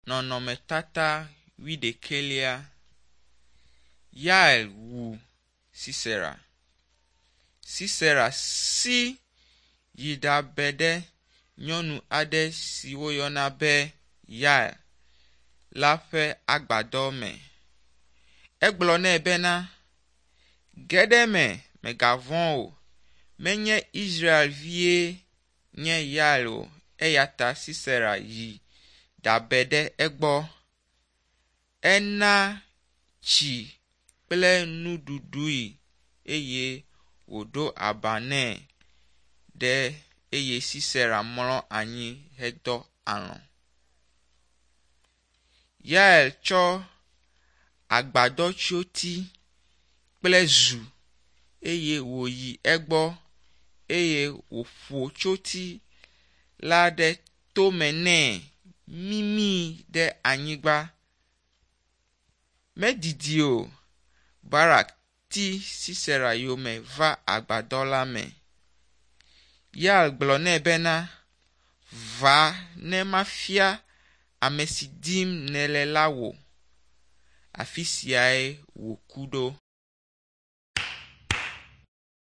Nɔnɔmetata wuiɖekɛlia. Yael wu Sisera. Sisera si yi ɖabe ɖe nyɔnu aɖe si woyɔna be Yael la ƒe agbadɔ me. Egblɔ nɛ bena, Ge ɖe eme, mègavɔ̃ o. Menye Israelvie nye Yael o eya ta Sisera yi ɖabe ɖe egbɔ. Ena tsi kple nuɖuɖui eye wòɖo aba nɛ ɖe eye Sisera mlɔ anyi hedɔ alɔ̃. Yael tsɔ agbadɔtsyoti kple zu eye wòyi egbɔ eye wòƒo tsyoti la ɖe tome nɛ mimii ɖe anyigba. Medidi o, Barak ti Sisera yome va agbadɔ la me. Yael gblɔ nɛ bena, Va ne mafia ame si dim nèle la wò. Afi siae wòku ɖo.